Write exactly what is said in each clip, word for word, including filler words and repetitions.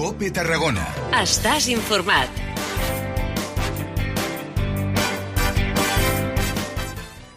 COPE Tarragona. Estàs informat.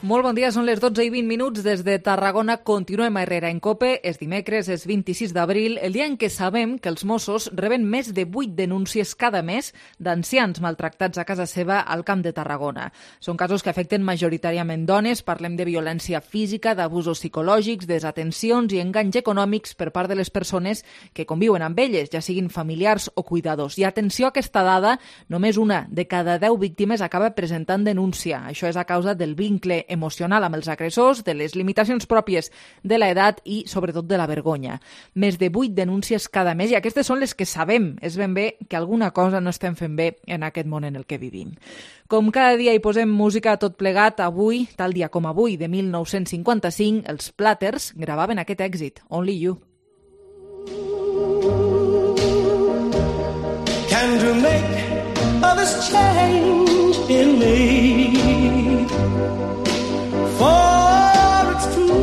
Molt bon dia, són les dotze i vint minuts. Des de Tarragona continuem a Herrera en COPE. És dimecres, és vint-i-sis d'abril, el dia en què sabem que els Mossos reben més de vuit denúncies cada mes d'ancians maltractats a casa seva al Camp de Tarragona. Són casos que afecten majoritàriament dones. Parlem de violència física, d'abusos psicològics, desatencions i enganys econòmics per part de les persones que conviuen amb elles, ja siguin familiars o cuidadors. I atenció a aquesta dada, només una de cada deu víctimes acaba presentant denúncia. Això és a causa del vincle emocional amb els agressors, de les limitacions pròpies de l'edat i, sobretot, de la vergonya. Més de vuit denúncies cada mes, i aquestes són les que sabem. És ben bé que alguna cosa no estem fent bé en aquest món en el que vivim. Com cada dia hi posem música a tot plegat, avui, tal dia com avui, de mil nou-cents cinquanta-cinc, els Platters gravaven aquest èxit, Only You. Can you make others change in me? For it's true.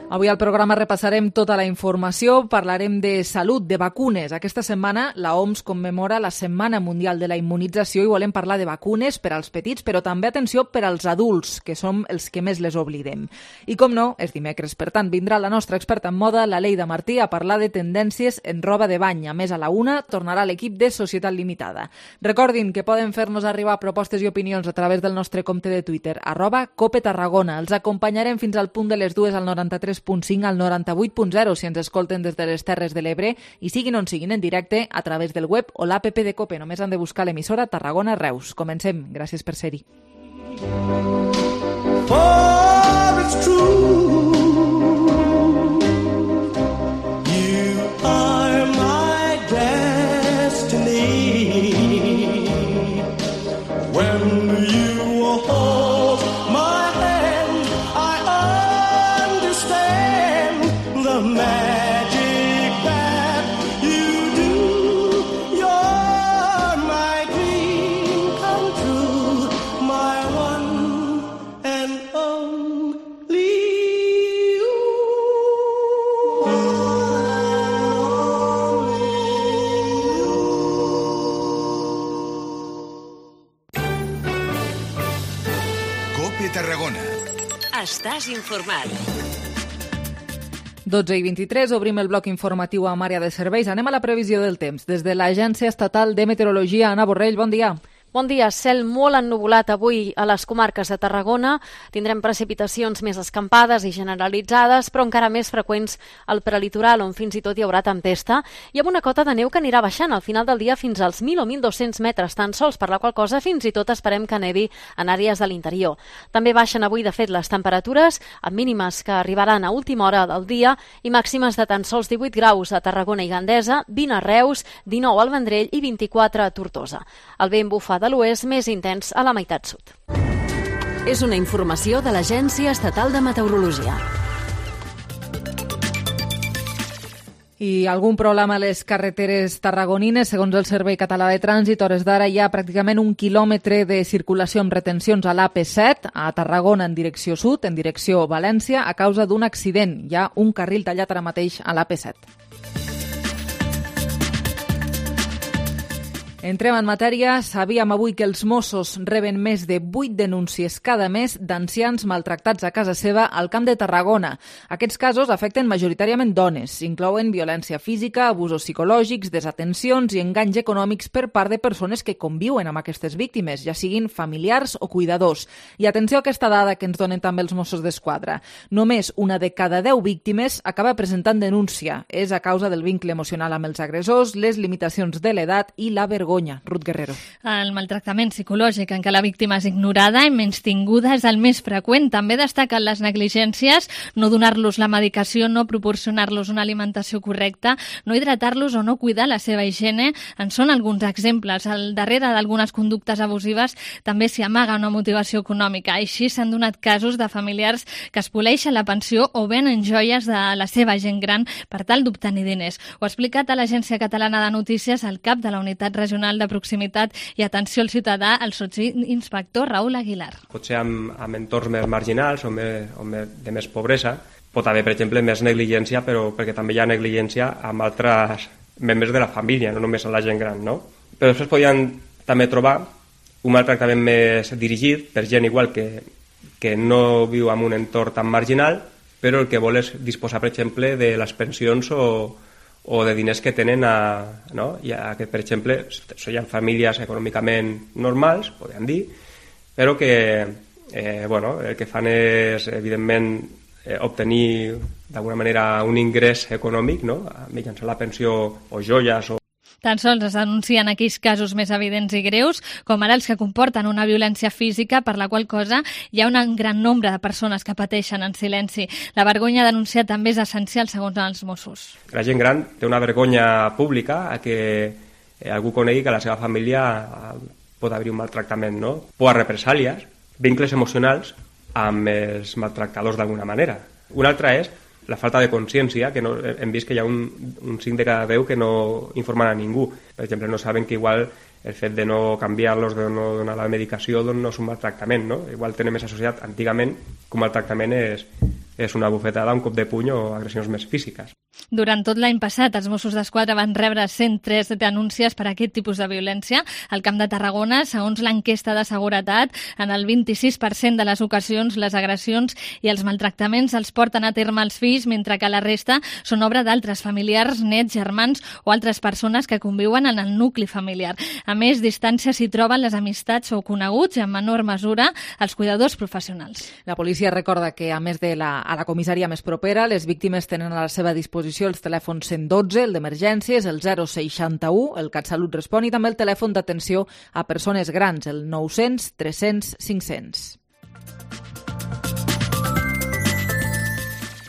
Avui al programa repassarem tota la informació, parlarem de salut, de vacunes. Aquesta setmana la O M S commemora la Setmana Mundial de la Immunització i volem parlar de vacunes per als petits, però també, atenció, per als adults, que som els que més les oblidem. I com no, és dimecres, per tant, vindrà la nostra experta en moda, la Leida Martí, a parlar de tendències en roba de bany. A més, a la una tornarà l'equip de Societat Limitada. Recordin que poden fer-nos arribar propostes i opinions a través del nostre compte de Twitter, arroba Cope Tarragona. Els acompanyarem fins al punt de les dues al noranta-tres punt cinc al noranta-vuit punt zero si ens escolten des de les Terres de l'Ebre i siguin on siguin en directe a través del web o l'app de COPE. Només han de buscar l'emissora Tarragona Reus. Comencem. Gràcies per ser-hi. For it's true. You are my destiny. When you hold my hand, I understand the magic that you do. You're my dream come true, my one and only you. COPE Tarragona. Estàs informat. dotze i vint-i-tres, obrim el bloc informatiu amb àrea de serveis. Anem a la previsió del temps. Des de l'Agència Estatal de Meteorologia, Anna Borrell, bon dia. Bon dia. Cel molt ennuvolat avui a les comarques de Tarragona. Tindrem precipitacions més escampades i generalitzades, però encara més freqüents al prelitoral, on fins i tot hi haurà tempesta, i amb una cota de neu que anirà baixant al final del dia fins als mil o mil dos-cents metres tan sols, per la qual cosa fins i tot esperem que nevi en àrees de l'interior. També baixen avui, de fet, les temperatures, amb mínimes que arribaran a última hora del dia i màximes de tan sols divuit graus a Tarragona i Gandesa, vint a Reus, dinou al Vendrell i vint-i-quatre a Tortosa. El vent bufa de l'oest més intens a la meitat sud. És una informació de l'Agència Estatal de Meteorologia. I algun problema a les carreteres tarragonines? Segons el Servei Català de Trànsit, hores d'ara hi ha pràcticament un quilòmetre de circulació amb retencions a l'A P set, a Tarragona en direcció sud, en direcció València, a causa d'un accident. Hi ha un carril tallat ara mateix a l'A P set. Entrem en matèria. Sabíem avui que els Mossos reben més de vuit denúncies cada mes d'ancians maltractats a casa seva al Camp de Tarragona. Aquests casos afecten majoritàriament dones. Inclouen violència física, abusos psicològics, desatencions i enganys econòmics per part de persones que conviuen amb aquestes víctimes, ja siguin familiars o cuidadors. I atenció a aquesta dada que ens donen també els Mossos d'Esquadra. Només una de cada deu víctimes acaba presentant denúncia. És a causa del vincle emocional amb els agressors, les limitacions de l'edat i la vergonya. Ruth Guerrero. El maltractament psicològic en què la víctima és ignorada i menystinguda és el més freqüent. També destaquen les negligències, no donar-los la medicació, no proporcionar-los una alimentació correcta, no hidratar-los o no cuidar la seva higiene. En són alguns exemples. Al darrere d'algunes conductes abusives també s'hi amaga una motivació econòmica. Així s'han donat casos de familiars que espoleixen la pensió o venen joies de la seva gent gran per tal d'obtenir diners. Ho ha explicat a l'Agència Catalana de Notícies el cap de la Unitat Regional de Proximitat i Atenció al Ciutadà, el sotsinspector Raül Aguilar. Potser amb, amb entorns més marginals o, més, o més, de més pobresa pot haver, per exemple, més negligència, però perquè també hi ha negligència amb altres membres de la família, no només a la gent gran, no? Però després podien també trobar un maltractament més dirigit per gent igual que, que no viu en un entorn tan marginal, però el que vol és disposar, per exemple, de les pensions o, o de diners que tenen a, no? Ja que, per exemple, són famílies econòmicament normals, podem dir, però que eh, bueno, el que fan és, evidentment, eh, obtenir d'alguna manera un ingrés econòmic, no? Mitjançant la pensió o joies o Tan sols es denuncien aquells casos més evidents i greus, com ara els que comporten una violència física, per la qual cosa hi ha un gran nombre de persones que pateixen en silenci. La vergonya a denunciar també és essencial, segons els Mossos. La gent gran té una vergonya pública a que algú conegui que a la seva família pot haver un maltractament, no? Por a represàlies, vincles emocionals amb els maltractadors d'alguna manera. Una altra és la falta de consciència, que no, hem vist que hi ha un, un cinc de cada deu que no informen a ningú. Per exemple, no saben que igual el fet de no canviar-los, de no donar la medicació, doncs no és un maltractament, no? Igual tenen més associat antigament que un maltractament és, és una bufetada, un cop de puny o agressions més físiques. Durant tot l'any passat, els Mossos d'Esquadra van rebre cent tres denúncies per aquest tipus de violència. Al Camp de Tarragona, segons l'enquesta de seguretat, en el vint-i-sis per cent de les ocasions les agressions i els maltractaments els porten a terme els fills, mentre que la resta són obra d'altres familiars, nets, germans o altres persones que conviuen en el nucli familiar. A més, distància s'hi troben les amistats o coneguts i en menor mesura els cuidadors professionals. La policia recorda que, a més de la, a la comissaria més propera, les víctimes tenen a la seva disposició els telèfons cent dotze, el d'emergències, el zero seixanta-u, el CatSalut Respon i també el telèfon d'atenció a persones grans, el nou-cents, tres-cents, cinc-cents.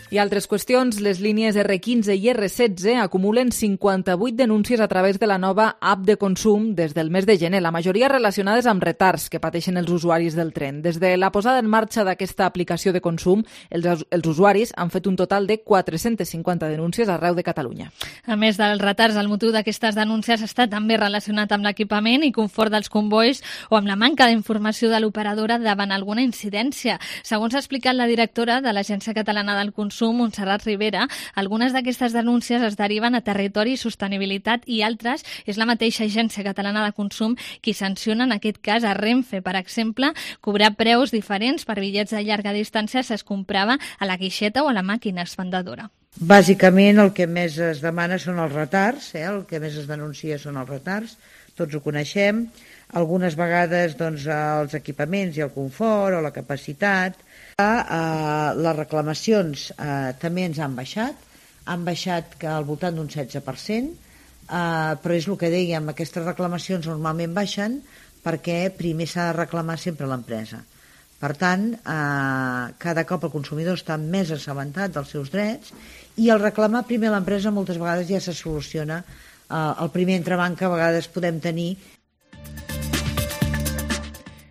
I altres qüestions, les línies erre quinze i erre setze acumulen cinquanta-vuit denúncies a través de la nova app de consum des del mes de gener, la majoria relacionades amb retards que pateixen els usuaris del tren. Des de la posada en marxa d'aquesta aplicació de consum, els, els usuaris han fet un total de quatre-cents cinquanta denúncies arreu de Catalunya. A més dels retards, el motiu d'aquestes denúncies està també relacionat amb l'equipament i confort dels convois o amb la manca d'informació de l'operadora davant alguna incidència. Segons ha explicat la directora de l'Agència Catalana del Consum, Montserrat Rivera, algunes d'aquestes denúncies es deriven a Territori i Sostenibilitat i altres és la mateixa Agència Catalana de Consum qui sanciona en aquest cas a Renfe. Per exemple, cobrar preus diferents per bitllets de llarga distància si es comprava a la guixeta o a la màquina expendedora. Bàsicament el que més es demana són els retards, eh? El que més es denuncia són els retards, tots ho coneixem, algunes vegades doncs, els equipaments i el confort o la capacitat. Uh, les reclamacions uh, també ens han baixat, han baixat que al voltant d'un setze per cent, uh, però és el que dèiem, aquestes reclamacions normalment baixen perquè primer s'ha de reclamar sempre l'empresa. Per tant, uh, cada cop el consumidor està més assabentat dels seus drets i al reclamar primer l'empresa moltes vegades ja se soluciona uh, el primer entrebanc que a vegades podem tenir.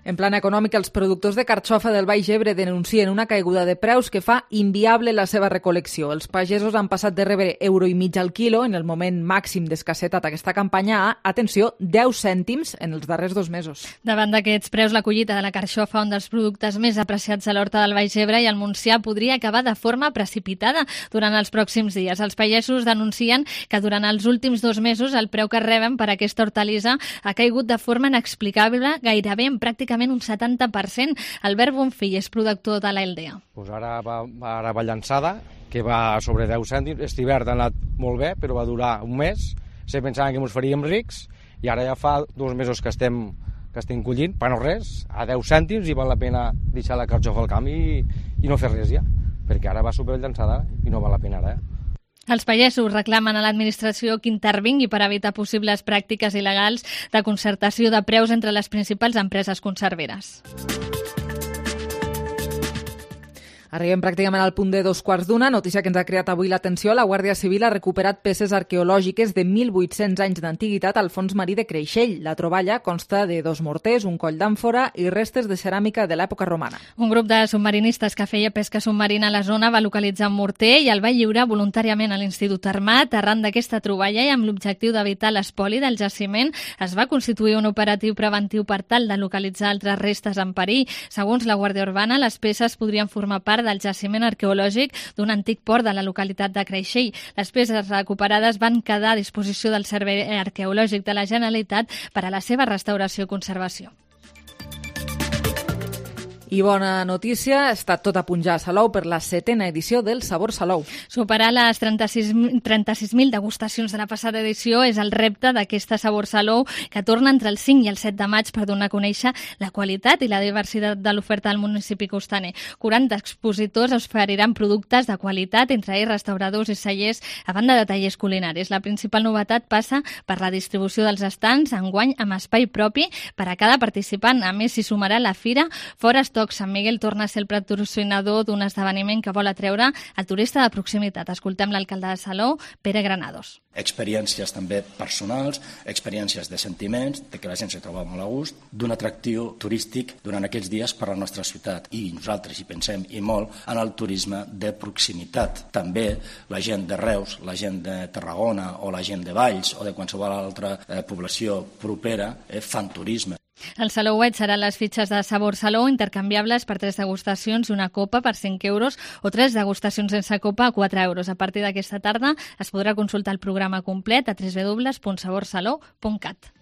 En plan econòmic, els productors de carxofa del Baix Ebre denuncien una caiguda de preus que fa inviable la seva recol·lecció. Els pagesos han passat de rebre euro i mig al quilo en el moment màxim d'escassetat d'aquesta campanya a, atenció, deu cèntims en els darrers dos mesos. Davant d'aquests preus, la collita de la carxofa, un dels productes més apreciats a l'horta del Baix Ebre i al Montsià, podria acabar de forma precipitada durant els pròxims dies. Els pagesos denuncien que durant els últims dos mesos el preu que reben per aquesta hortalissa ha caigut de forma inexplicable, gairebé en pràcticament un setanta per cent. Albert Bonfill és productor de l'Aldea. Pues ara va, ara va llançada, que va sobre deu cèntims. Aquest hivern ha anat molt bé, però va durar un mes. Se pensaven que ens faríem rics i ara ja fa dos mesos que estem, que estem collint, per no res, a deu cèntims i val la pena deixar la carxofa al camp i, i no fer res ja, perquè ara va super llançada i no val la pena ara. Eh? Els pagesos reclamen a l'administració que intervingui per evitar possibles pràctiques il·legals de concertació de preus entre les principals empreses conserveres. Arribem pràcticament al punt de dos quarts d'una, notícia que ens ha creat avui l'atenció. La Guàrdia Civil ha recuperat peces arqueològiques de mil vuit-cents anys d'antiguitat al fons marí de Creixell. La troballa consta de dos morters, un coll d'àmfora i restes de ceràmica de l'època romana. Un grup de submarinistes que feia pesca submarina a la zona va localitzar un morter i el va lliurar voluntàriament a l'Institut Armat. Arran d'aquesta troballa i amb l'objectiu d'evitar l'espoli del jaciment, es va constituir un operatiu preventiu per tal de localitzar altres restes en perill. Segons la Guàrdia Urbana, les peces podrien formar part del jaciment arqueològic d'un antic port de la localitat de Creixell. Les peces recuperades van quedar a disposició del Servei Arqueològic de la Generalitat per a la seva restauració i conservació. I bona notícia, està tot a punt ja a Salou per la setena edició del Sabor Salou. Superar les trenta-sis mil degustacions de la passada edició és el repte d'aquesta Sabor Salou, que torna entre el cinc i el set de maig per donar a conèixer la qualitat i la diversitat de l'oferta del municipi costaner. quaranta expositors oferiran productes de qualitat, entre ells restauradors i cellers, a banda de tallers culinaris. La principal novetat passa per la distribució dels estands, enguany amb espai propi per a cada participant. A més, s'hi sumarà la fira Fores Toc. Sant Miguel torna a ser el patrocinador d'un esdeveniment que vol atreure el turista de proximitat. Escoltem l'alcalde de Salou, Pere Granados. Experiències també personals, experiències de sentiments, de que la gent se troba molt a gust, d'un atractiu turístic durant aquests dies per a la nostra ciutat. I nosaltres hi pensem i molt en el turisme de proximitat. També la gent de Reus, la gent de Tarragona o la gent de Valls o de qualsevol altra eh, població propera eh, fan turisme. El Salouet seran les fitxes de Sabor Salou intercanviables per tres degustacions i una copa per cinc euros o tres degustacions sense copa a quatre euros. A partir d'aquesta tarda es podrà consultar el programa complet a w w w punt sabor salou punt cat.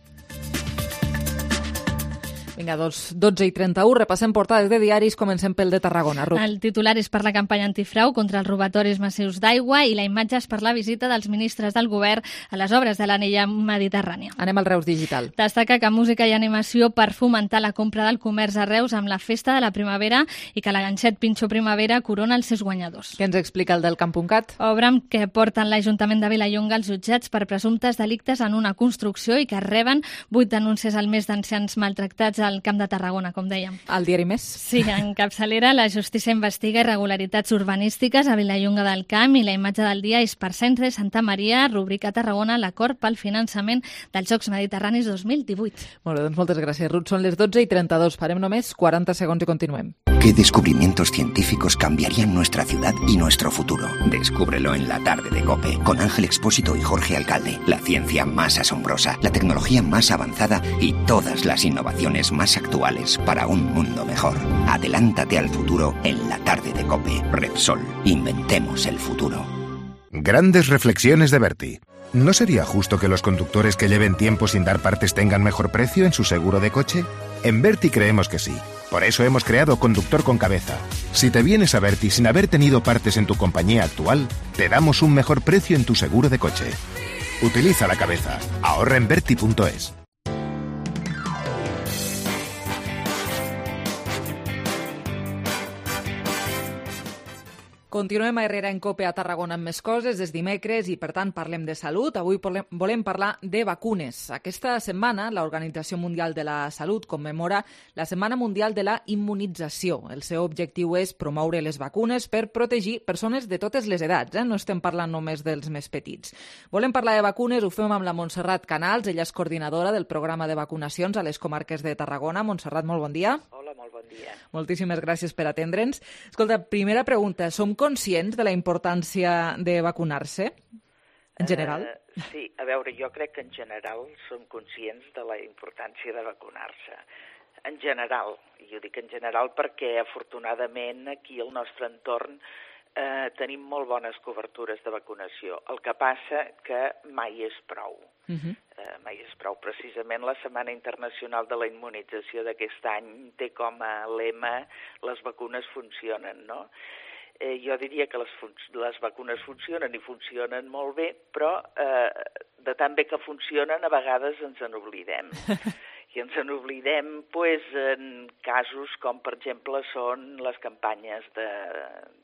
Vinga, doncs, dotze i trenta-u, repassem portades de diaris, comencem pel de Tarragona. Ruth. El titular és per la campanya antifrau contra els robatoris massius d'aigua i la imatge és per la visita dels ministres del govern a les obres de l'anella mediterrània. Anem al Reus Digital. Destaca que música i animació per fomentar la compra del comerç a Reus amb la festa de la primavera i que la ganxet Pinxo Primavera corona els seus guanyadors. Què ens explica el del Camp.cat? Obra que porten l'Ajuntament de Vilallonga als jutjats per presumptes delictes en una construcció i que reben vuit denúncies al mes d'ancians maltractats al Camp de Tarragona, com dèiem. El diari Més? Sí, en capçalera la justícia investiga irregularitats urbanístiques a Vilallonga del Camp i la imatge del dia és per Centre Santa Maria, rubrica Tarragona, l'acord pel finançament dels Jocs Mediterranis dos mil divuit. Molt bé, doncs moltes gràcies, Ruth. Són les dotze i trenta-dos. Farem només quaranta segons i continuem. ¿Qué descubrimientos científicos cambiarían nuestra ciudad y nuestro futuro? Descúbrelo en la tarde de COPE, con Ángel Expósito y Jorge Alcalde. La ciencia más asombrosa, la tecnología más avanzada y todas las innovaciones más actuales para un mundo mejor. Adelántate al futuro en la tarde de COPE. Repsol, inventemos el futuro. Grandes reflexiones de Berti. ¿No sería justo que los conductores que lleven tiempo sin dar partes tengan mejor precio en su seguro de coche? En Berti creemos que sí. Por eso hemos creado Conductor con Cabeza. Si te vienes a Berti sin haber tenido partes en tu compañía actual, te damos un mejor precio en tu seguro de coche. Utiliza la cabeza. Ahorra en Berti punto es. Continuem a Herrera en Cope a Tarragona amb més coses. És dimecres i, per tant, parlem de salut. Avui volem parlar de vacunes. Aquesta setmana, l'Organització Mundial de la Salut commemora la Setmana Mundial de la Immunització. El seu objectiu és promoure les vacunes per protegir persones de totes les edats. Eh? No estem parlant només dels més petits. Volem parlar de vacunes, ho fem amb la Montserrat Canals. Ella és coordinadora del programa de vacunacions a les comarques de Tarragona. Montserrat, molt bon dia. Hola, molt bon dia. Moltíssimes gràcies per atendre'ns. Escolta, primera pregunta. Som conscients de la importància de vacunar-se, en general? Uh, sí, a veure, jo crec que en general som conscients de la importància de vacunar-se. En general, i ho dic en general perquè afortunadament aquí al nostre entorn eh, tenim molt bones cobertures de vacunació. El que passa que mai és prou. Uh-huh. Eh, mai és prou. Precisament la Setmana Internacional de la Immunització d'aquest any té com a lema les vacunes funcionen, no? Eh, jo diria que les, fun les vacunes funcionen i funcionen molt bé, però eh, de tan bé que funcionen a vegades ens en oblidem. I ens en oblidem pues, en casos com, per exemple, són les campanyes de,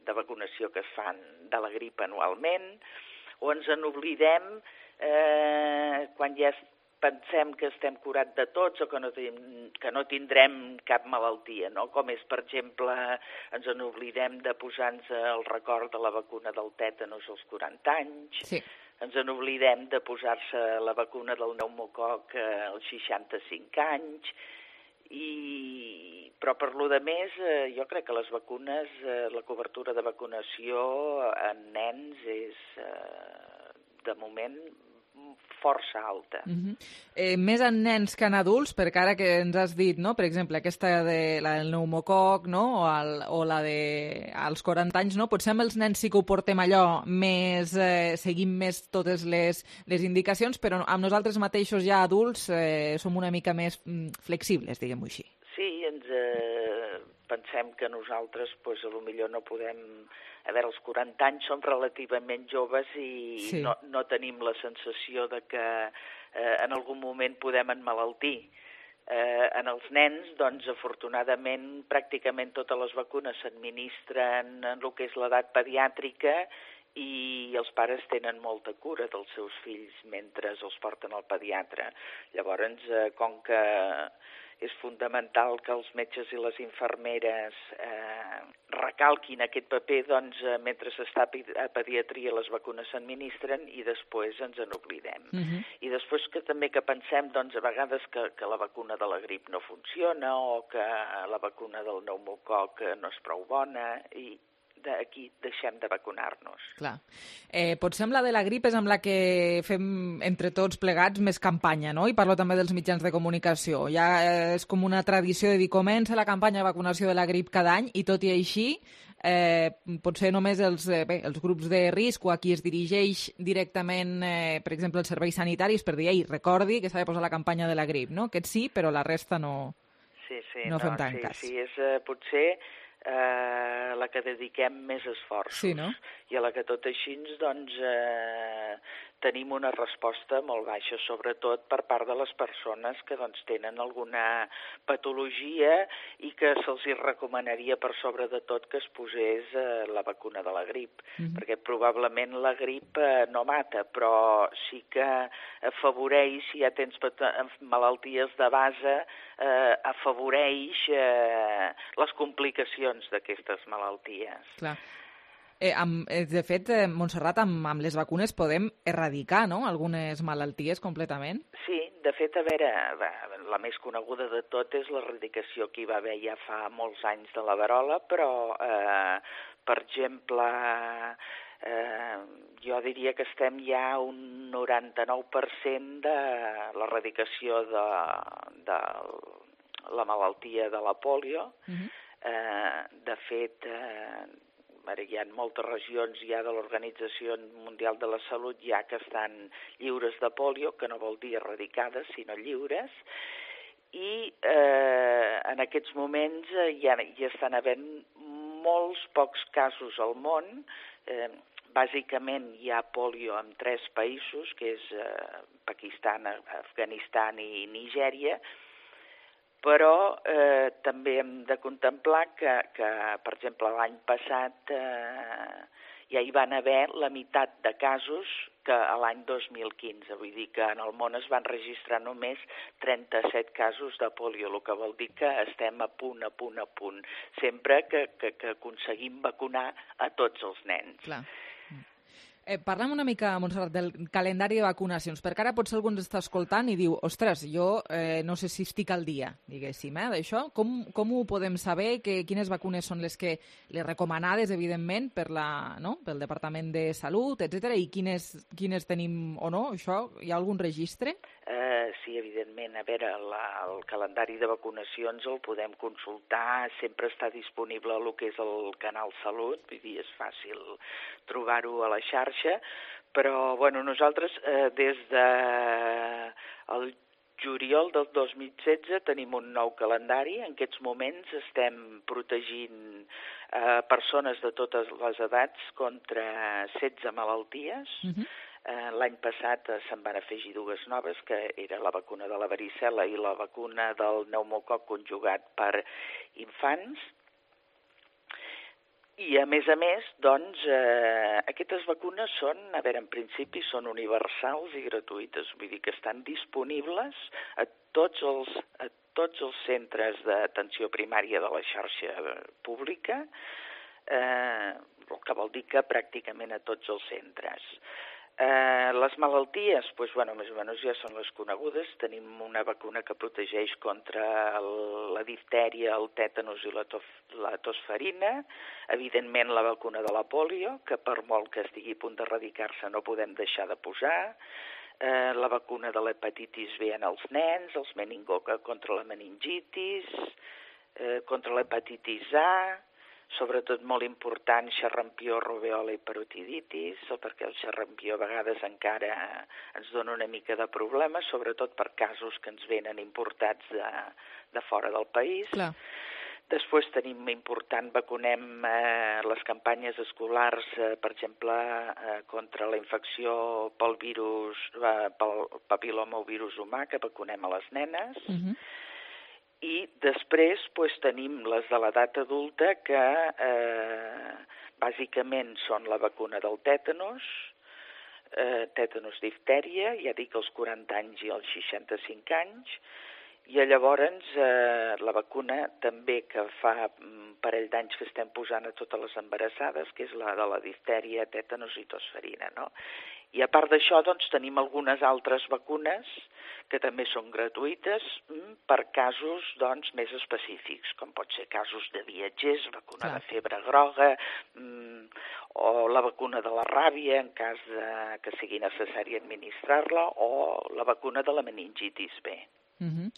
de vacunació que es fan de la grip anualment, o ens en oblidem eh, quan ja pensem que estem curats de tots o que no, ten, que no tindrem cap malaltia, no? Com és, per exemple, ens en oblidem de posar-nos el record de la vacuna del tètanos als quaranta anys, sí. Ens en oblidem de posar-se la vacuna del pneumococ als seixanta-cinc anys, i... però per lo de més, eh, jo crec que les vacunes, eh, la cobertura de vacunació en nens és, eh, de moment, força alta. Uh-huh. eh, més en nens que en adults, perquè ara que ens has dit, no? Per exemple, aquesta de la del pneumococ, no? O, el, o la de als quaranta anys, no? Potser amb els nens sí que ho portem allò més, eh, seguim més totes les, les indicacions, però amb nosaltres mateixos ja adults eh, som una mica més mm, flexibles, diguem-ho així. Sí, ens eh, pensem que nosaltres, pues, a lo millor no podem... A veure, als quaranta anys som relativament joves i sí. no, no tenim la sensació de que eh, en algun moment podem emmalaltir. Eh, en els nens, doncs, afortunadament, pràcticament totes les vacunes s'administren en el que és l'edat pediàtrica i els pares tenen molta cura dels seus fills mentre els porten al pediatre. Llavors, eh, com que és fundamental que els metges i les infermeres eh, recalquin aquest paper, doncs, eh, mentre s'està a pediatria les vacunes s'administren i després ens en oblidem. Uh-huh. I després que també que pensem, doncs, a vegades que, que la vacuna de la grip no funciona o que la vacuna del pneumococ no és prou bona i d'aquí deixem de vacunar-nos. Clar. Eh, potser amb la de la grip és amb la que fem entre tots plegats més campanya, no? I parlo també dels mitjans de comunicació. Ja és com una tradició de dir comença la campanya de vacunació de la grip cada any i tot i així eh, potser només els, eh, bé, els grups de risc o a qui es dirigeix directament, eh, per exemple, els serveis sanitaris per dir, ei, recordi que s'ha de posar la campanya de la grip, no? Aquest sí, però la resta no, sí, sí, no, no fem no, tant sí, cas. Sí, és eh, potser eh, la que dediquem més esforços. Sí, no? I a la que tot així, doncs, eh, tenim una resposta molt baixa, sobretot per part de les persones que doncs, tenen alguna patologia i que se'ls recomanaria per sobre de tot que es posés eh, la vacuna de la grip, mm-hmm. perquè probablement la grip eh, no mata, però sí que afavoreix, si ja tens malalties de base, eh, afavoreix eh, les complicacions d'aquestes malalties. Clar. Eh, amb, de fet, eh, Montserrat, amb, amb les vacunes podem erradicar, no?, algunes malalties completament? Sí, de fet, a veure, la més coneguda de tot és l'erradicació que hi va haver ja fa molts anys de la verola, però, eh, per exemple, eh, jo diria que estem ja a un noranta-nou per cent de l'erradicació de, de la malaltia de la pòlio. Uh-huh. eh, de fet, eh, Ara, hi ha moltes regions ja de l'Organització Mundial de la Salut ja que estan lliures de pòlio, que no vol dir erradicades, sinó lliures, i eh, en aquests moments eh, ja, ja estan havent molts pocs casos al món. Eh, bàsicament hi ha pòlio en tres països, que és eh, Pakistan, Afganistan i Nigèria, però eh, també hem de contemplar que, que per exemple, l'any passat eh, ja hi van haver la meitat de casos que a l'any dos mil quinze. Vull dir que en el món es van registrar només trenta-set casos de pòlio, el que vol dir que estem a punt, a punt, a punt, sempre que, que, que aconseguim vacunar a tots els nens. Clar. Eh, parlem una mica, Montserrat, del calendari de vacunacions, perquè ara potser algú ens està escoltant i diu, ostres, jo eh, no sé si estic al dia, diguéssim, eh, d'això. Com, com ho podem saber? Que, quines vacunes són les que les recomanades, evidentment, per la, no? pel Departament de Salut, etcètera, i quines, quines tenim o no? Això, hi ha algun registre? Eh, sí, evidentment. A veure, la, el calendari de vacunacions el podem consultar, sempre està disponible a lo que és el canal Salut, vull dir, és fàcil trobar-ho a la xarxa, però bueno, nosaltres eh, des de el juliol del dos mil setze tenim un nou calendari. En aquests moments estem protegint eh, persones de totes les edats contra setze malalties. Uh-huh. Eh, L'any passat eh, se'n van afegir dues noves, que era la vacuna de la varicel·la i la vacuna del pneumococ conjugat per infants. I, a més a més, doncs, eh, aquestes vacunes són, a veure, en principi són universals i gratuïtes, vull dir que estan disponibles a tots els, a tots els centres d'atenció primària de la xarxa pública, eh, el que vol dir que pràcticament a tots els centres. Eh, les malalties, doncs, bueno, més o menys ja són les conegudes. Tenim una vacuna que protegeix contra el, la diftèria, el tètanus i la, tof, la tosferina. Evidentment, la vacuna de la pòlio, que per molt que estigui a punt d'erradicar-se no podem deixar de posar. eh, la vacuna de l'hepatitis B en els nens, els meningococs contra la meningitis, eh, contra l'hepatitis A, sobretot molt important xerrampió, rubèola i parotiditis, perquè el xerrampió a vegades encara ens dona una mica de problemes, sobretot per casos que ens venen importats de, de fora del país. Clar. Després tenim important, vacunem eh, les campanyes escolars, eh, per exemple, eh, contra la infecció pel virus, eh, pel papil·loma o virus humà, que vacunem a les nenes. Uh-huh. I després pues, tenim les de l'edat adulta que eh, bàsicament són la vacuna del tètanus, eh, tètanus diftèria, ja dic als quaranta anys i als seixanta-cinc anys, i llavors eh, la vacuna també que fa un parell d'anys que estem posant a totes les embarassades, que és la de la diftèria, tètanus i tosferina, no? I a part d'això, doncs, tenim algunes altres vacunes que també són gratuïtes per casos, doncs, més específics, com pot ser casos de viatgers, vacuna Clar. de febre groga, mm, o la vacuna de la ràbia, en cas de que sigui necessari administrar-la, o la vacuna de la meningitis B. Uh-huh.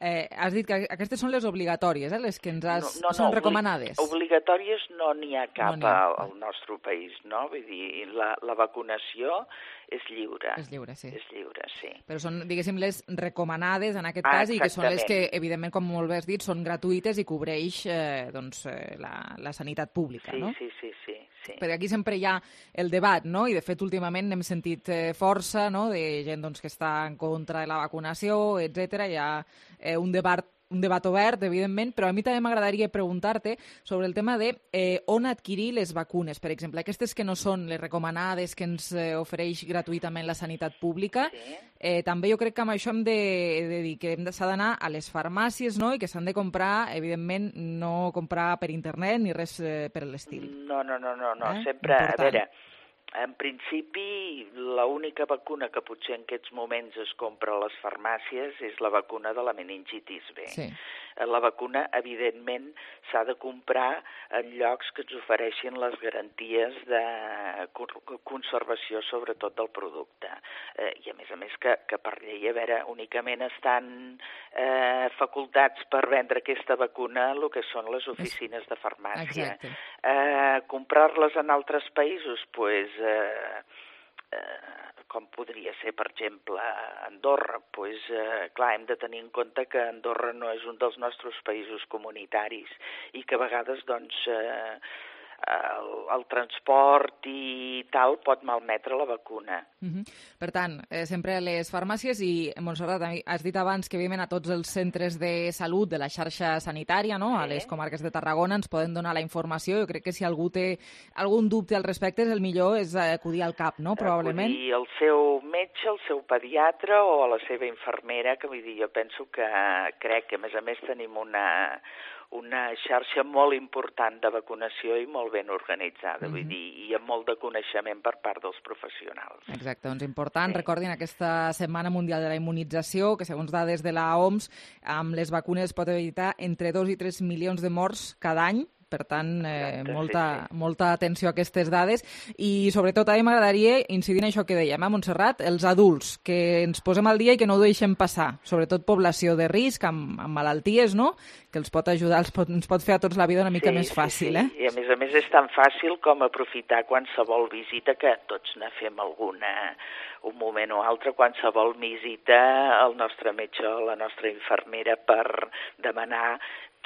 eh, has dit que aquestes són les obligatòries, eh, les que ens has... No, no, són no, recomanades. Obligatòries no n'hi ha cap no ha. al, al nostre país, no? Vull dir, la, la vacunació és lliure. És lliure, sí. És lliure, sí. Però són, diguéssim, les recomanades en aquest ah, cas i que són les que, evidentment, com molt bé has dit, són gratuïtes i cobreix eh, doncs, eh, la, la sanitat pública, sí, no? Sí, sí, sí. Sí. Perquè aquí sempre hi ha el debat, no? I de fet últimament hem sentit eh, força, no?, de gent doncs, que està en contra de la vacunació, etcètera. Hi ha eh, un debat un debat obert, evidentment, però a mi també m'agradaria preguntar-te sobre el tema de eh, on adquirir les vacunes, per exemple, aquestes que no són les recomanades que ens eh, ofereix gratuïtament la sanitat pública. Sí. Eh, també jo crec que amb això hem de, de dir que s'ha d'anar a les farmàcies, no?, i que s'han de comprar, evidentment, no comprar per internet ni res eh, per l'estil. No, no, no, no, no. Eh? Sempre, Important. a veure, en principi, l'única vacuna que potser en aquests moments es compra a les farmàcies és la vacuna de la meningitis B. Sí. La vacuna, evidentment, s'ha de comprar en llocs que ens ofereixin les garanties de conservació, sobretot del producte. Eh, I, a més a més, que, que per llei, a veure, únicament estan eh, facultats per vendre aquesta vacuna el que són les oficines de farmàcia. Exacte. Eh, comprar-les en altres països, doncs, pues, eh, eh, com podria ser, per exemple, Andorra, pues, eh, clar, hem de tenir en compte que Andorra no és un dels nostres països comunitaris i que a vegades, doncs, eh, el, el transport i tal pot malmetre la vacuna. Uh-huh. Per tant, eh, sempre a les farmàcies i, Montserrat, has dit abans que evidentment a tots els centres de salut de la xarxa sanitària, no?, sí. A les comarques de Tarragona ens poden donar la informació. Jo crec que si algú té algun dubte al respecte, el millor és acudir al CAP, no?, probablement. Acudir al seu metge, al seu pediatre o a la seva infermera, que vull dir, jo penso que crec que a més a més tenim una... una xarxa molt important de vacunació i molt ben organitzada, mm-hmm. vull dir, i amb molt de coneixement per part dels professionals. Exacte, doncs important. Sí. Recordin aquesta Setmana Mundial de la Immunització, que segons dades de la O M S, amb les vacunes pot evitar entre dos i tres milions de morts cada any. Per tant, eh, Exacte, molta, sí, sí. molta atenció a aquestes dades. I, sobretot, a mi m'agradaria incidir en això que dèiem, eh, Montserrat, els adults, que ens posem al dia i que no ho deixem passar. Sobretot població de risc, amb, amb malalties, no?, que els pot ajudar, els pot, ens pot fer a tots la vida una mica sí, més fàcil. Sí, Eh? sí. I, a més a més, és tan fàcil com aprofitar qualsevol visita, que tots ne fem alguna, un moment o altre, qualsevol visita al nostre metge o la nostra infermera per demanar,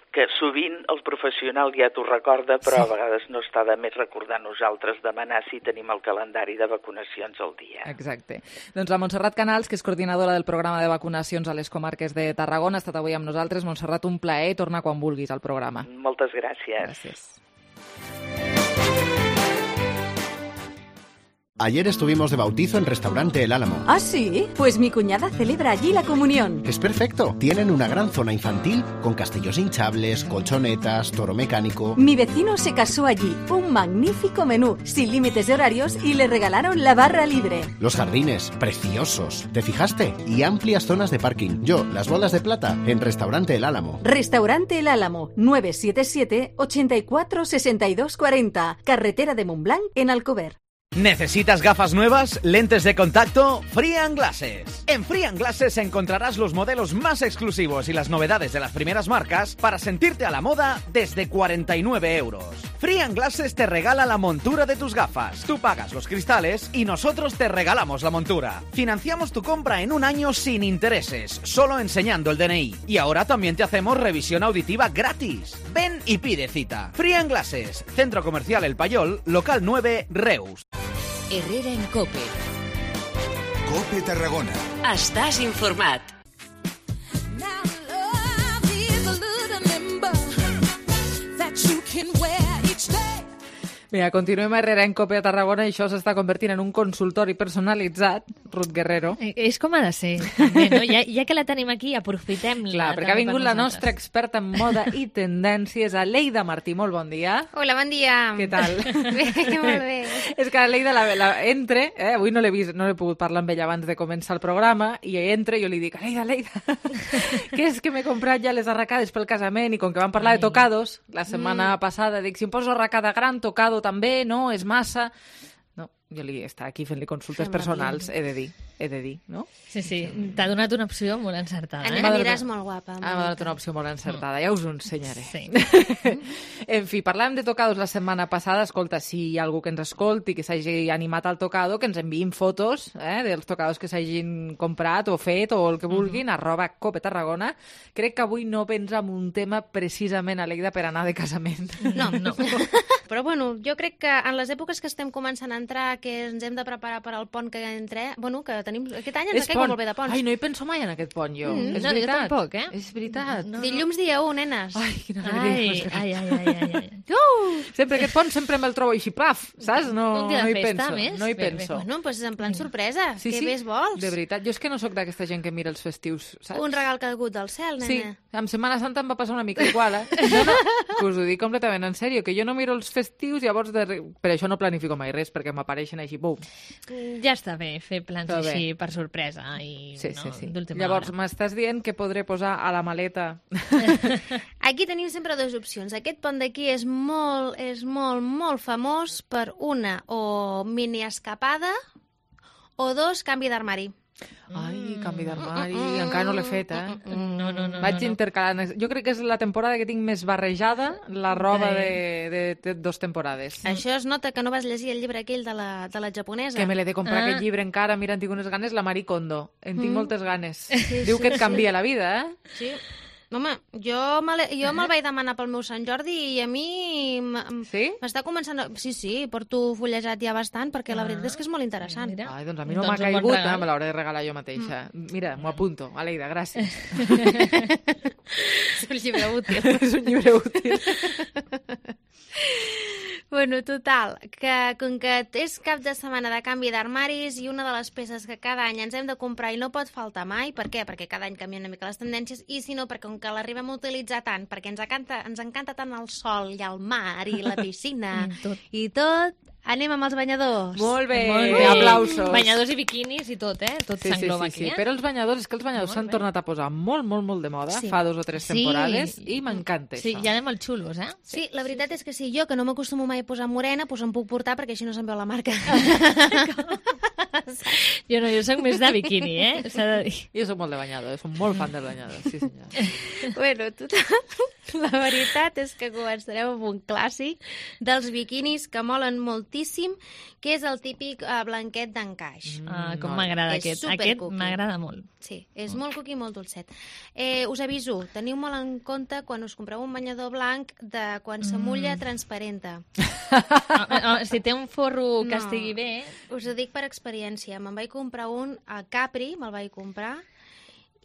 que sovint el professional ja t'ho recorda, però sí. a vegades no està de més recordar nosaltres demanar si tenim el calendari de vacunacions al dia. Exacte. Doncs la Montserrat Canals, que és coordinadora del programa de vacunacions a les comarques de Tarragona, ha estat avui amb nosaltres. Montserrat, un plaer. Torna quan vulguis al programa. Moltes gràcies. Gràcies. Ayer estuvimos de bautizo en Restaurante El Álamo. ¿Ah, sí? Pues mi cuñada celebra allí la comunión. Es perfecto. Tienen una gran zona infantil con castillos hinchables, colchonetas, toro mecánico. Mi vecino se casó allí. Un magnífico menú, sin límites de horarios, y le regalaron la barra libre. Los jardines, preciosos. ¿Te fijaste? Y amplias zonas de parking. Yo, las bolas de plata, en Restaurante El Álamo. Restaurante El Álamo, nueve siete siete, ochenta y cuatro, sesenta y dos cuarenta. Carretera de Montblanc, en Alcover. ¿Necesitas gafas nuevas? ¿Lentes de contacto? Free and Glasses. En Free and Glasses encontrarás los modelos más exclusivos y las novedades de las primeras marcas para sentirte a la moda desde cuarenta y nueve euros. Free and Glasses te regala la montura de tus gafas. Tú pagas los cristales y nosotros te regalamos la montura. Financiamos tu compra en un año sin intereses, solo enseñando el D N I. Y ahora también te hacemos revisión auditiva gratis. Ven y pide cita. Free and Glasses, Centro Comercial El Payol, local nueve, Reus. Herrera en COPE. COPE Tarragona. Estàs informat. Mira, continuem a Herrera en COPE a Tarragona i això s'està convertint en un consultori personalitzat. Ruth Guerrero. És com ha de ser, també, no? Ja, ja que la tenim aquí, aprofitem-la. Clar, perquè ha vingut la nostra experta en moda i tendències, Aleida Martí. Molt bon dia. Hola, bon dia. Què tal? Bé, molt bé. És que Aleida la, la, entre, eh? Avui no l'he vist, no he pogut parlar amb ella abans de començar el programa, i entra i jo li dic, Aleida, Aleida, que és que m'he comprat ja les arracades pel casament, i com que vam parlar de tocados la setmana mm. passada, dic, si em poso arracada gran, tocado també, no, és massa. No, jo li està aquí fent-li consultes Fem personals, he de dir, he de dir, no? Sí, sí, t'ha donat una opció molt encertada. Eh? Aniràs molt guapa. Ah, m'ha donat una opció molt encertada, ja us ho ensenyaré. Sí. En fi, parlàvem de tocados la setmana passada. Escolta, si hi ha algú que ens escolti, que s'hagi animat al tocado, que ens enviïn fotos eh, dels tocados que s'hagin comprat o fet o el que vulguin, uh -huh. arroba Cope Tarragona. Crec que avui no vens amb un tema precisament, Aleida, per anar de casament. No, no. Però, bueno, jo crec que en les èpoques que estem començant a entrar, que ens hem de preparar per al pont que entrem, bueno, que tenim... Aquest any ens caigo molt bé de ponts. Ai, no hi penso mai en aquest pont, jo. Mm, és no, veritat. jo tampoc, eh? És veritat. No, no. Dilluns dia u, nenes. Ai, quina ai, ai, ai, ai, ai, ai. Uh! Sempre aquest pont sempre me'l trobo així, plaf, saps? No, un dia no de hi festa, penso. més? No hi Bé, penso. bé. Bueno, doncs en plan sorpresa. Sí, Què sí, més vols? de veritat. Jo és que no sóc d'aquesta gent que mira els festius, saps? Un regal caigut del cel, nena. Sí, en Setmana Santa em va passar una mica igual, eh? No, no, que us ho dic completament en sèrio, que jo no miro els festius, llavors de... per això no planifico mai res, perquè m'apareixen així, bum. Ja està bé fer plans Està bé. així per sorpresa i Sí, no, sí, sí. d'última Llavors, hora. m'estàs dient que podré posar a la maleta... Aquí tenim sempre dues opcions. Aquest pont d'aquí és molt, és molt, molt famós per una, o mini escapada, o dos, canvi d'armari. Ai, canvi d'armari, mm, encara no l'he fet, eh? No, no, no. Vaig no, no. intercalant. Jo crec que és la temporada que tinc més barrejada, la roba de, de, de dos temporades. Això es nota que no vas llegir el llibre aquell de la, de la japonesa. Que me l'he de comprar, Ah. aquest llibre encara. Mira, en tinc unes ganes, la Marie Kondo. En tinc Mm. moltes ganes. Sí, Diu sí, que et sí. canvia la vida, eh? Sí. Home, jo me l'he- jo me'l vaig demanar pel meu Sant Jordi i a mi m- Sí? m'està començant... A... Sí, sí, porto fullejat ja bastant perquè la veritat és que és molt interessant. Ai, doncs a mi no Doncs m'ha un bon caigut, regal. eh? Me l'hauré de regalar jo mateixa. Mira, m'ho apunto. Aleida, gràcies. És un llibre útil. És un llibre útil. Bueno, total, que com que és cap de setmana de canvi d'armaris i una de les peces que cada any ens hem de comprar i no pot faltar mai, per què? Perquè cada any canvien una mica les tendències, i si no, perquè com que l'arribem a utilitzar tant, perquè ens encanta, ens encanta tant el sol i el mar i la piscina tot. i tot, anem amb els banyadors. Molt bé, Molt bé. aplausos. Banyadors i biquinis i tot, eh? Tot Sí, sí, s'engloba sí, sí. aquí, eh? Però els banyadors, és que els banyadors Molt s'han bé. tornat a posar molt, molt, molt de moda, Sí. fa dos o tres Sí. temporades, i m'encanta Sí, això. ja anem molt xulos, eh? Sí, la veritat és que sí, jo que no m'acostumo mai a posar morena, doncs em puc portar perquè així no se'n veu la marca. Jo no, jo soc més de biquini, eh? S'ha de dir. Jo soc molt de banyador, soc molt fan del banyador, sí senyor. Bueno, total, la veritat és que començarem amb un clàssic dels biquinis que molen moltíssim, que és el típic eh, blanquet d'encaix. Ah, com no, m'agrada és aquest. super Aquest cookie. m'agrada molt. Sí, és molt cuqui i molt dolcet. Eh, us aviso, teniu molt en compte quan us compreu un banyador blanc de quan s'amulla transparenta. Ah, ah, si té un forro que No. estigui bé... Us ho dic per experiència. Me'n vaig comprar un a Capri, me'l vaig comprar,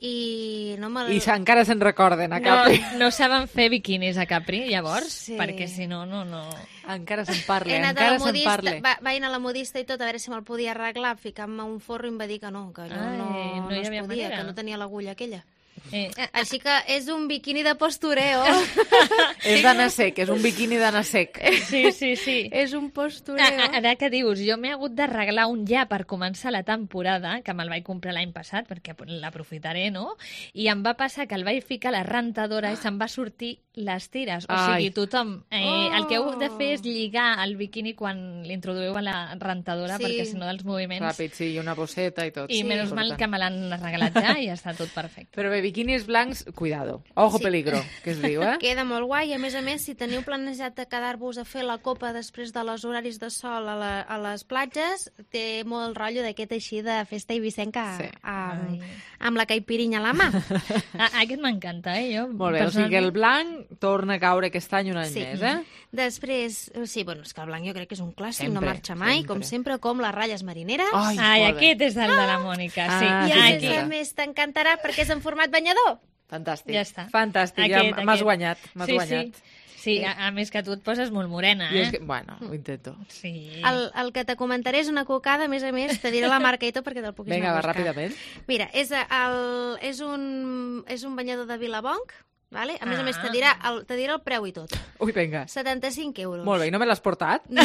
i no me'l... I encara se'n recorden, a No, Capri. no saben fer biquinis a Capri, llavors, Sí. perquè si no, no, no... Encara se'n parla, He anat a encara la se'n modista, parla. va, vaig anar a la modista i tot, a veure si me'l podia arreglar, ficant-me un forro i em va dir que no, que allò Ai, no, no no, hi es havia podia, manera. que no tenia l'agulla aquella. Eh, Així que és un biquini de postureo. És d'anar sec, és un biquini d'anar sec. sí, sí, sí. És un postureo. Ah, ah, Ara que dius, jo m'he hagut d'arreglar un ja per començar la temporada, que me'l vaig comprar l'any passat, perquè l'aprofitaré, no? I em va passar que el vaig ficar a la rentadora i se'm va sortir les tires. O Ai. sigui, tothom... Eh, Oh. El que heu de fer és lligar el biquini quan l'introdueu a la rentadora, Sí. perquè si no dels moviments... Ràpid, sí, i una bosseta i tot. I Sí. menys mal Important. que me l'han regalat ja i ja està tot perfecte. Però bé, biquinis blancs, cuidado. Ojo Sí. peligro, que es diu, eh? Queda molt guai. A més a més, si teniu planejat de quedar-vos a fer la copa després de los horaris de sol a, la, a les platges, té molt rotllo d'aquest així de festa ibicenca Sí. amb, amb la caipirinha a la mà. Ah, aquest m'encanta, eh? Jo, Molt bé, o sigui que el blanc torna a caure aquest any un any Sí. més, eh? Després, sí, bueno, és que el blanc jo crec que és un clàssic, no Sempre, marxa mai, sempre. com sempre, com les ratlles marineres. Ai, Ai, molt bé. aquest és el de la Mònica, sí. Ah, I sí, a sí, més sí. a més t'encantarà perquè és en format banyador. Fantàstic. Ja està. Fantàstic, Aquest, ja m'has aquest. guanyat, m'has sí, guanyat. Sí. Sí, a, a més que tu et poses molt morena, I eh? és que, bueno, ho intento. Sí. El, el que te comentaré és una cocada, a més a més, te diré la marca i tot perquè te'l puguis Vinga, anar va, a buscar. ràpidament. Mira, és, el, és, un, és un banyador de Vilabonc, vale? A més a més te Ah. dirà, el, te dirà el preu i tot. Ui, vinga. setanta-cinc euros. Molt bé, i no me l'has portat? No.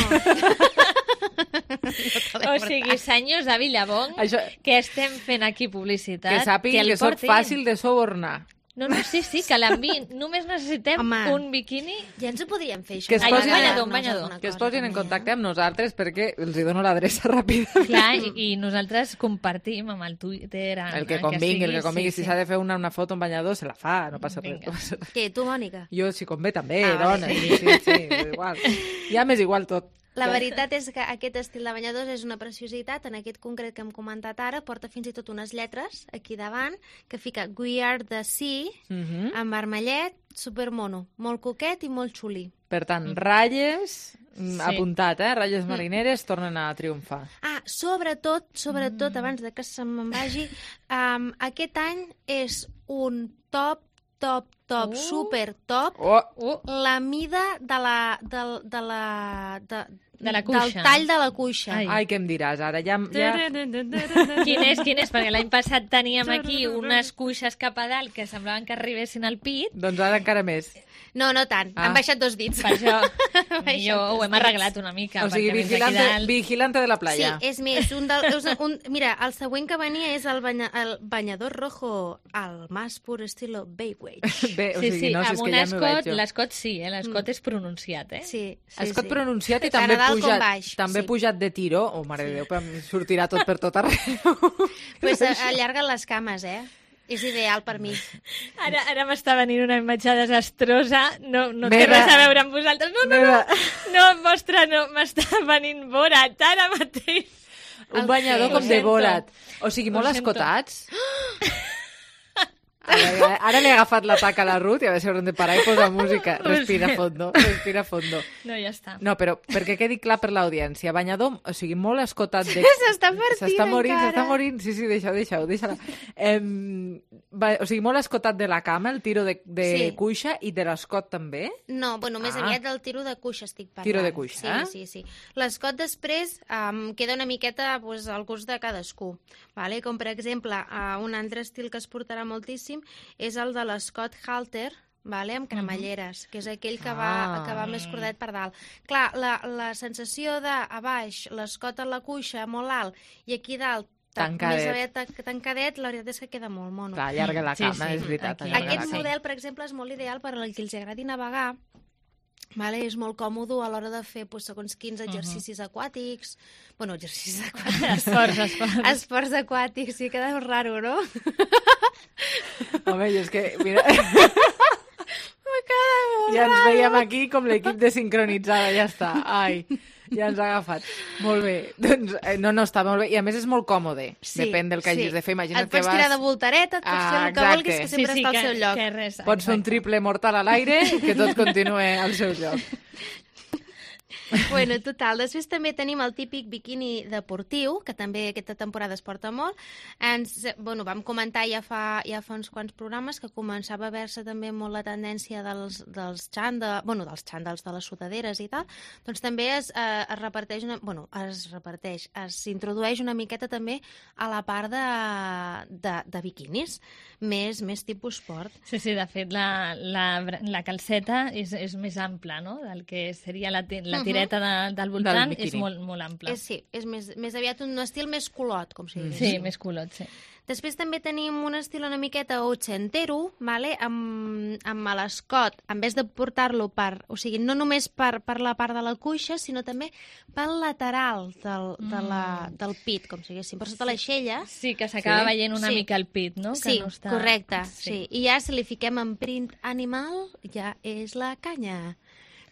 O sigui, senyors de Villabong, Això- que estem fent aquí publicitat, Que sàpiguin el que sóc portin. fàcil de subornar. No, no, sí, sí, que l'enviïn. Només necessitem Home. un biquini. Ja ens ho podríem fer, això. Que es Ai, posin, un banyador, un banyador. que es posin en contacte amb nosaltres perquè els hi dono l'adreça ràpida. Clar, i, i nosaltres compartim amb el Twitter... amb- El que amb convingui, el sigui, que convingui. sí, Si s'ha de fer una, una foto en banyador, se la fa, no passa res. Vinga. No passa res. Què, tu, Mònica? Jo, si convé, també, Ah, dona. vale. Sí, sí, sí, igual. Ja m'és igual tot. La veritat és que aquest estil de banyadors és una preciositat. En aquest concret que hem comentat ara, porta fins i tot unes lletres aquí davant que fica We are the sea, Mhm. en vermellet, supermono. Molt coquet i molt xulí. Per tant, ratlles, mm, Sí. apuntat, eh? Ratlles marineres tornen a triomfar. Ah, sobretot, sobretot, abans de que se me'n vagi, um, aquest any és un top, top, top, Uh. super top, Oh, Uh, la mida de la, de, de la, de, De la del cuixa. tall de la cuixa. Ai. ai, què em diràs ara? Ja, ja... quin és, quin és? Perquè l'any passat teníem aquí unes cuixes cap a dalt que semblaven que arribessin al pit. Doncs ara encara més. No, no tant. Ah. Han baixat dos dits. Per això baixat jo ho dos hem dits. arreglat una mica. O sigui, perquè menys aquí vigilante, dalt- vigilante de la Sí, playa. és més, un del, és un, mira, el següent que venia és el, banya, el banyador rojo al más pur estilo Baywatch. Bé, o Sí, sigui, sí, no, si és amb que un ja m'ho veig escot, jo. l'escot sí, eh? L'escot és pronunciat, eh? Sí, sí, Escot sí. pronunciat i Tant també a dalt com pujat, baix, també sí. pujat de tiro. Oh, mare de Déu, però em sortirà tot per tot arreu. Pues a- allarguen les cames, eh? És ideal per mi. Ara, ara m'està venint una imatge desastrosa, no, no té Meva. res a veure amb vosaltres. No, no, no, Meva. no, vostre, no, m'està venint Borat ara mateix. Un banyador Ho com de sento. Borat. O sigui, Ho molt sento. escotats. Ara, ara li he agafat l'atac a la Ruth i a veure si haurem de parar i posar música. Ho Respira sento. fondo, respira fondo. No, ja està. No, però perquè quedi clar per l'audiència, banyador, o sigui, molt escotat de... S'està partint S'està morint, encara. s'està morint. Sí, sí, deixa-ho, deixa-ho, deixa-la. Em, va, o sigui, molt escotat de la cama, el tiro de, de Sí. cuixa i de l'escot també. No, bueno, més Ah. aviat del tiro de cuixa estic parlant. Tiro de cuixa, sí, eh? Sí, sí, L'escot després um, queda una miqueta pues, al gust de cadascú. Vale? Com, per exemple, uh, un altre estil que es portarà moltíssim és el de l'escot halter, vale? Amb cremalleres, que és aquell que va, Ah. que va més cordet per dalt. Clar, la, la sensació de a baix, l'escot a la cuixa molt alt i aquí dalt Tancadet. més aviat ta- tancadet, la veritat és que queda molt mono. Clar, allarga la Sí, cama, sí, és veritat. aquí. allarga la Aquest cama. model, per exemple, és molt ideal per als que els agradi navegar. Vale? És molt còmode a l'hora de fer pues, segons quins exercicis aquàtics. Bueno, exercicis aquàtics. Esports, esports. Esports aquàtics, sí, queda molt raro, no? Home, jo és que, mira... Me queda molt Ja ens raro. veiem aquí com l'equip de sincronitzada, ja està. Ai, ja ens ha agafat. Molt bé. Doncs, eh, no, no, està molt bé. I a més és molt còmode. Sí, Depèn del que sí. hagis de fer. Imagina't Et pots que tirar de vas... voltareta, et pots Ah, fer el que exacte. vulguis, que sempre sí, està que, al seu lloc. Que res, Pots fer un triple mortal a l'aire que tot continue al seu lloc. Bueno, total. Després també tenim el típic biquini deportiu, que també aquesta temporada es porta molt. Ens, bueno, vam comentar ja fa, ja fa uns quants programes que començava a veure-se també molt la tendència dels, dels xandals, bueno, dels xandals, de les sudaderes i tal. Doncs també es, eh, es reparteix, una, bueno, es reparteix, es introdueix una miqueta també a la part de, de, de biquinis, més, més tipus sport. Sí, sí, de fet, la, la, la calceta és, és més ampla, no?, del que seria la, te- la la tireta de, del voltant Del és molt, molt ampla. És, sí, és més, més aviat un estil més colot, com si digués. Sí, més colot, sí. Després també tenim un estil una miqueta ochentero, vale? amb, amb l'escot, en vez de portar-lo per... O sigui, no només per, per la part de la cuixa, sinó també pel lateral del, de la, del pit, com si diguéssim, per sota l'aixella. Sí, que s'acaba Sí. veient una Sí. mica el pit, no? Sí, que no està... correcte. Sí. Sí. I ja si li fiquem en print animal, ja és la canya.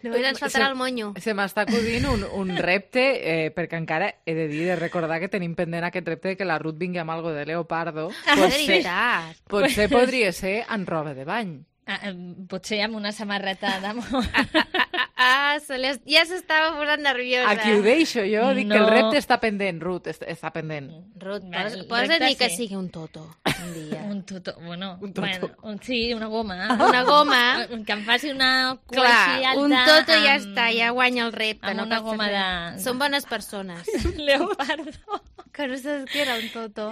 Només ens faltarà Se- el monyo. Se m'està acudint un, un repte, eh, perquè encara he de dir, de recordar que tenim pendent aquest repte de que la Ruth vingui amb algo de leopardo. Ah, de Potser, veritat. potser podria ser en roba de bany. Ah, eh, potser amb una samarreta d'amor. Ah, se li, ja s'estava posant nerviosa. Aquí ho deixo jo, dic No. que el repte està pendent, Ruth, est- està pendent. Ruth, Vale, posa, el posa repte dir que sí. sigui un toto un dia. Un tuto, bueno, Un toto. bueno un, sí, una goma. Una goma. Que em faci una cua així Clar, alta. un toto ja amb- està, ja guanya el repte. amb no una cal fer goma res. de- Són bones persones. Leopardo. Que no saps què era un toto.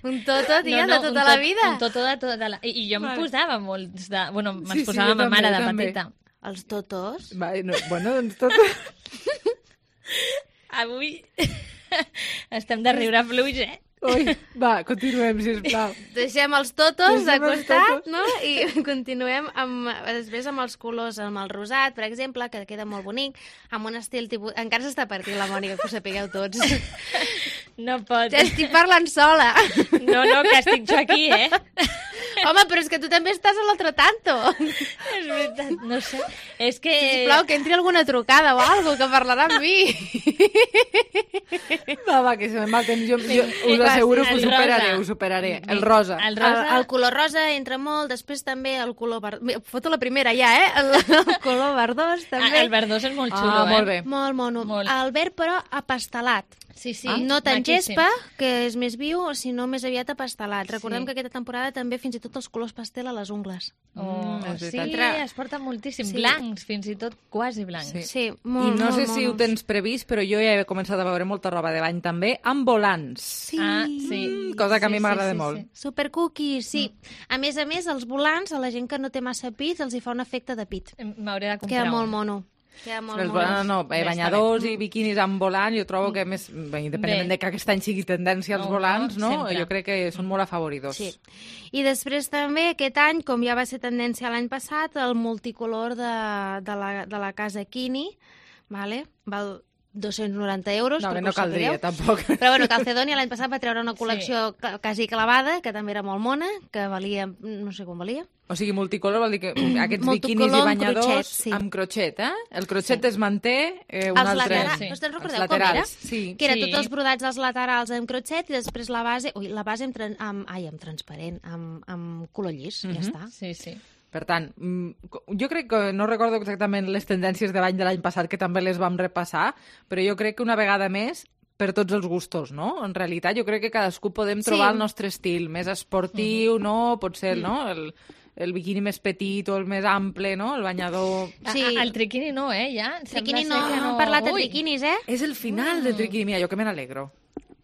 Un toto, tia, No, no, de un tota tot- la vida. Un toto de tota la... I, i jo em Vale. posava molts de... Bueno, me'ls Sí, sí, posava jo ma mare també, de també. petita. Els totos? Va, no, bueno, doncs tot... Avui estem de riure fluix, eh? Ui, va, continuem, sisplau. Deixem els totos de Deixem els costat, totos. no? I continuem amb, després amb els colors, amb el rosat, per exemple, que queda molt bonic, amb un estil tipus... Encara s'està partint la Mònica, que ho sapigueu tots. No pot. Estic parlant sola. No, no, que estic jo aquí, eh? Home, però és que tu també estàs a l'altre tanto. És veritat, no sé. És que... Sisplau, que entri alguna trucada o alguna que parlarà amb mi. Va, va, que se me'n va el temps. Jo, jo us Va, asseguro sí, que ho el superaré, rosa. ho superaré. El rosa. El El, rosa... el color rosa entra molt, després també el color verdós. Foto la primera ja, eh? El, el color verdós també. Ah, el verdós és molt Ah, xulo, molt eh? bé. Molt mono. Molt. El verd, però, apastelat. Sí, sí. Ah, no tant maquíssim. gespa, que és més viu, sinó més aviat apastelat. Recordem Sí. que aquesta temporada també fins i tot els colors pastel a les ungles. Oh, Mm, és sí, veritat. es porta moltíssim. Sí. Blancs, fins i tot quasi blancs. Sí. Sí, I molt, no molt sé si ho monos. tens previst, però jo ja he començat a veure molta roba de bany també, amb volants. Sí. Ah, sí. Mm, cosa que a mi Sí, m'agrada sí, sí, molt. sí. Super cookies, sí. A més a més, els volants, a la gent que no té massa pit, els hi fa un efecte de pit. M'hauré de comprar Queda molt un. mono. Queda molt Els mono. volants, no, eh, Bé, està banyadors bé. i biquinis amb volant, jo trobo que més, bé, independentment Bé. de que aquest any sigui tendència als No, volants, no? sempre. Jo crec que són molt afavoridors. Sí. I després també aquest any, com ja va ser tendència l'any passat, el multicolor de, de, la, de la casa Kini, vale? Val dos-cents noranta euros. No, que perquè no ho sapigueu. caldria, tampoc. Però bueno, Calcedonia l'any passat va treure una col·lecció sí. quasi clavada, que també era molt mona, que valia, no sé com valia. O sigui, multicolor vol dir que aquests Multicolor biquinis i amb banyadors crotxet, sí. amb crotxet, eh? El crotxet Sí. es manté, eh, un Els altre... laterals, sí. us te'n Els recordeu com laterals, era? sí. Que era Sí. tots els brodats als laterals amb crotxet i després la base, ui, la base amb, tran- amb, ai, amb transparent, amb, amb color llis, ja Mhm. està. Sí, sí. Per tant, mm, jo crec que no recordo exactament les tendències de bany de l'any passat, que també les vam repassar, però jo crec que una vegada més per tots els gustos, no? En realitat, jo crec que cadascú podem trobar Sí. el nostre estil, més esportiu, no? Potser, no? El, el biquini més petit o el més ample, no? El banyador... Sí. Sí. El triquini no, eh, ja. Triquini Sembla no, ser que no hem parlat de Ui, triquinis, eh? És el final del triquini. Mira, jo que me n'alegro.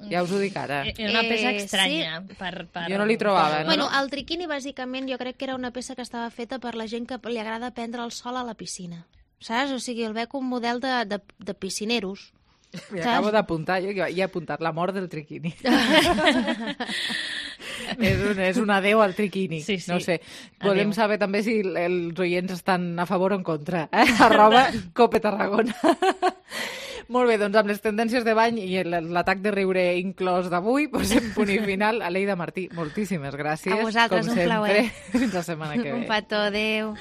Ja us ho dic ara. Era una peça Eh, estranya. Per, per... Jo no li trobava, per- no? Bueno, el triquini, bàsicament, jo crec que era una peça que estava feta per la gent que li agrada prendre el sol a la piscina. Saps? O sigui, el veig un model de, de, de piscineros. M'hi Saps? acabo d'apuntar, jo que he apuntat la mort del triquini. és, un, és un adeu al triquini. Sí, sí. No sé. Volem Adéu. saber també si els oients estan a favor o en contra. Eh? Arroba Cope Tarragona. Molt bé, doncs amb les tendències de bany i el- l'atac de riure inclòs d'avui, posem punt i final. Aleida Martí, moltíssimes gràcies. A vosaltres, com un sempre. plaer. Fins la setmana que ve. Un petó, adéu.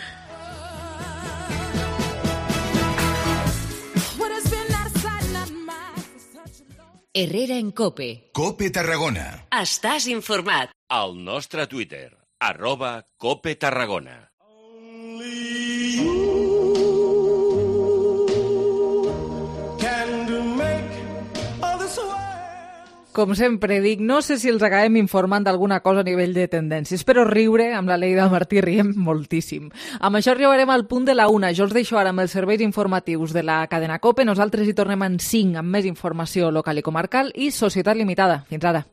Herrera en Cope. Cope Tarragona. Estàs informat. Al nostre Twitter, arroba Cope Tarragona. Com sempre dic, no sé si els acabem informant d'alguna cosa a nivell de tendències, però riure amb la Aleida Martí riem moltíssim. Amb això arribarem al punt de la una. Jo us deixo ara amb els serveis informatius de la cadena COPE. Nosaltres hi tornem en cinc amb més informació local i comarcal i Societat Limitada. Fins ara.